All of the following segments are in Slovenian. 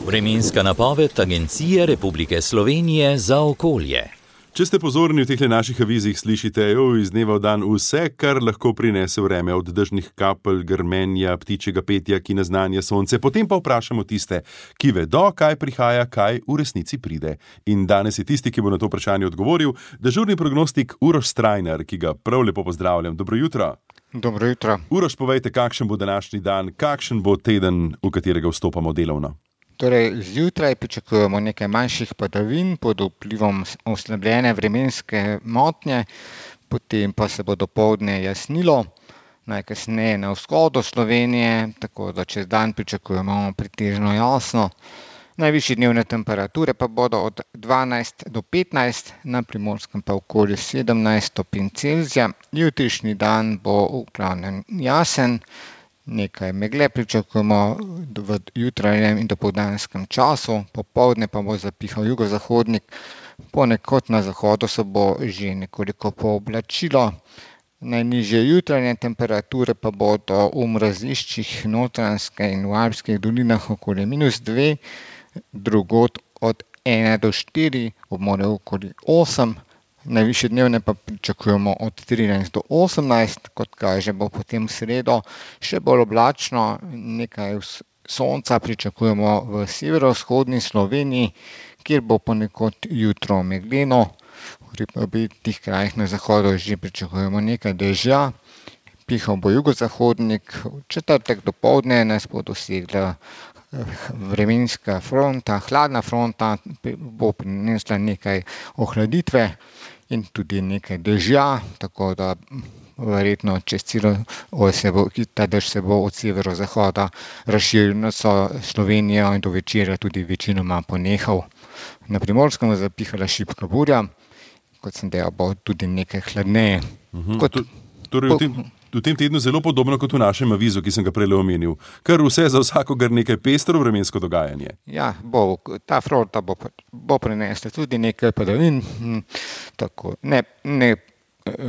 Vremenska napoved Agencije Republike Slovenije za okolje. Če ste pozorni v teh naših avizih, slišite iz dneva v dan vse, kar lahko prinese vreme, od dežnih kapelj, grmenja, ptičjega petja, ki naznanja sonce. Potem pa vprašamo tiste, ki vedo, kaj prihaja, kaj v resnici pride. In danes je tisti, ki bo na to vprašanje odgovoril, dežurni prognostik Uroš Strajnar, ki ga prav lepo pozdravljam. Dobro jutro. Dobro jutro. Uroš, povejte, kakšen bo današnji dan, kakšen bo teden, v katerega vstopamo delovno? Torej, zjutraj pričakujemo nekaj manjših padavin pod vplivom oslabljene vremenske motnje, potem pa se bo dopoldne jasnilo, najkasneje na vzhodu Slovenije, tako da čez dan pričakujemo pretežno jasno. Najvišje dnevne temperature pa bodo od 12 do 15, na Primorskem pa okoli 17 stopinj Celzija. Jutrišnji dan bo v glavnem jasen. Nekaj megle pričakujemo v jutranjem in dopoldanskem času, popoldne pa bo zapihal jugozahodnik, ponekod na zahodu se bo že nekoliko pooblačilo. Najnižje jutranje temperature pa bodo v mraziščih Notranjske in v Alpskih dolinah okoli -2, drugod od 1 do 4, ob morju okoli 8. Najvišje dnevne pa pričakujemo od 13 do 18, kot kaže bo potem v sredo še bolj oblačno, nekaj sonca pričakujemo v severovzhodni Sloveniji, kjer bo ponekod jutro megleno, v teh krajih na zahodu že pričakujemo nekaj dežja, pihal bo jugozahodnik, v četrtek dopoldne nas bo dosegla vremenska fronta, hladna fronta, bo prinesla nekaj ohladitve in tudi nekaj dežja, tako da verjetno čez celo ta dež se bo od severozahoda razširil nad Slovenijo in do večera tudi večinoma ponehal. Na Primorskem bo zapihala šibka burja, kot sem dejal, bo tudi nekaj hladneje. V tem tednu zelo podobno kot v našem avizu, ki sem ga prej omenil. Kar vse za vsakogar nekaj pestro vremensko dogajanje. Ja, ta fronta bo prinesla tudi nekaj padavin, tako ne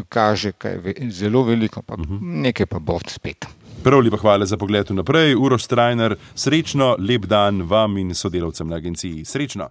kaže kaj zelo veliko, pa nekaj pa bo spet. Prav lepa hvala za pogled vnaprej. Uroš Strajnar, srečno, lep dan vam in sodelavcem na agenciji. Srečno!